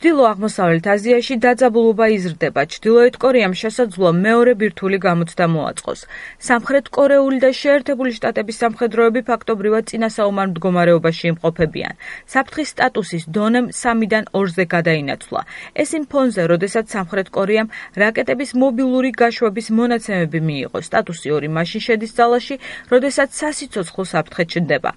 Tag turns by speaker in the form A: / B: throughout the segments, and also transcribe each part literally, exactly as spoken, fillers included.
A: ჩრდილო-აღმოსავლეთ აზიაში დაძაბულობა იზრდება. ჩრდილოეთ კორეამ შესაძლოა მეორე ბირთვული გამოცდა მოაწყოს. სამხრეთ კორეული და შეერთებული შტატების სამხედროები ფაქტობრივად წინასაომარ მდგომარეობაში იმყოფებიან. საფრთხის სტატუსის დონემ სამიდან ორზე გადაინაცვლა. ეს იმ ფონზე, როდესაც სამხრეთ კორეამ რაკეტების მობილური გაშვების მონაცემები მიიღო. სტატუსი ორი მაშინ შედის ძალაში, როდესაც სასიცოცხლო საფრთხე ჩნდება.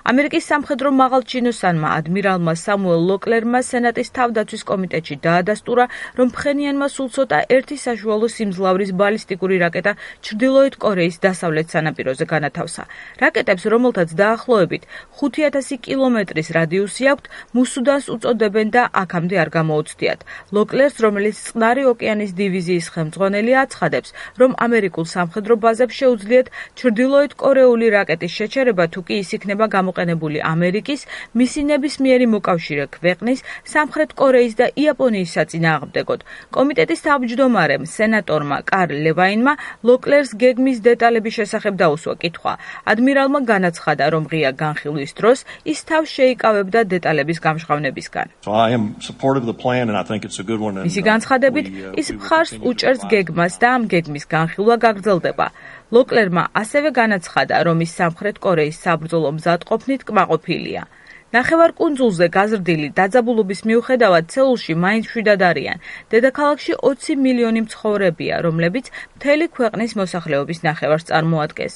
A: ამერიკის სამხედრო მაღალჩინოსანმა ადმირალმა სამუელ ლოკლერმა სენატის თავდაცვის კომიტეტში დაადასტურა, რომ ფხენიანმა სულ ცოტა ერთი საშუალო სიმძლავრის ბალისტიკური რაკეტა ჩრდილოეთ კორეის დასავლეთ სანაპიროზე განათავსა. რაკეტებს, რომელთაც დაახლოებით ხუთი ათასი კილომეტრის რადიუსი აქვთ, მუსუდანს უწოდებენ და აქამდე არ გამოუცდიათ. ლოკლერს, რომელიც წყნარი ოკეანის დივიზიის ხელმძღვანელი, აცხადებს, რომ ამერიკულ სამხედრო ბაზებს შეუძლიათ ჩრდილოეთ კორეული რაკეტის შეჩერება, თუ კი ის იქნება გამოყენებული ამერიკის, მისი ნებისმიერი მოკავშირე ქვეყნის, სამხრეთ კორეის და იაპონიის საწინააღმდეგოდ. კომიტეტის თავმჯდომარემ, სენატორმა კარლ ლევაინმა ლოკლერს გეგმის დეტალების შესახებ დაუსვა კითხვა. ადმირალმა განაცხადა, რომ ღია განხილვის დროს ის თავს შეიკავებდა დეტალების გამჟღავნებისგან. მისი განცხადებით, ის მხარს უჭერს გეგმას და ამ გეგმის განხილვა გაგრძელდება. ლოკლერმა ასევე განაცხადა, რომ ის სამხრეთ კორეის საბრძოლო მზადყოფნით კმაყოფილია. ნახევარკუნძულზე გაზრდილი დაძაბულობის მიუხედავად სეულში მაინც მშვიდად არიან. დედაქალაქში ოცი მილიონი მცხოვრებია, რომლებიც მთელი ქვეყნის მოსახლეობის ნახევარს წარმოადგენს.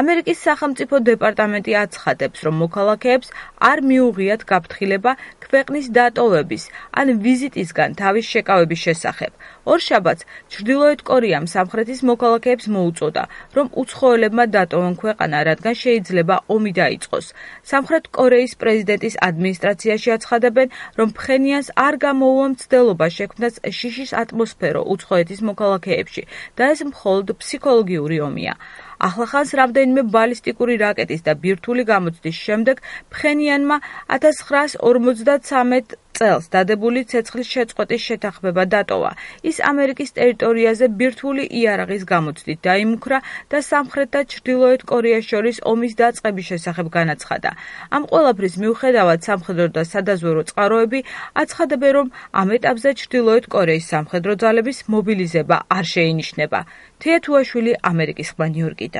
A: ამერიკის სახელმწიფო დეპარტამენტი აცხადებს, რომ მოქალაქეებს არ მიუღიათ გაფრთხილება ქვეყნის დატოვების ან ვიზიტისგან თავის შეკავების შესახებ. ორშაბათს ჩრდილოეთ კორეამ სამხრეთის მოქალაქეებს მოუწოდა, რომ უცხოელებმა დატოვონ ქვეყანა, რადგან შეიძლება ომი დაიწყოს. სამხრეთ კორეის პრეზიდენტის ადმინისტრაციაში აცხადებენ, რომ ფხენიანს არ გამოუვა მცდელობა შექმნას შიშის ატმოსფერო უცხოეთის მოქალაქეებში და ეს მხოლოდ ფსიქოლოგიური ომია. ახლახანს რამდენიმე ბალისტიკური რაკეტის და ბირთვული გამოცდის შემდეგ ფხენიანმა ათას ცხრაას ორმოცდათსამეტ წელს დადებული ცეცხლის შეწყვეტის შეთანხმება დატოვა. ის ამერიკის ტერიტორიაზე ბირთვული იარაღის გამოცდით დაიმუქრა და სამხრეთ და ჩრდილოეთ კორეას შორის ომის დაწყების შესახებ განაცხადა. ამ ყველაფრის მიუხედავად სამხედრო და სადაზვერვო წყაროები აცხადებენ, რომ ამ ეტაპზე ჩრდილოეთ კორეის სამხედრო ძალების მობილიზება არ შეინიშნება. თეა თუაშვილი, ამერიკის ხმა, ნიუ-იორკიდან.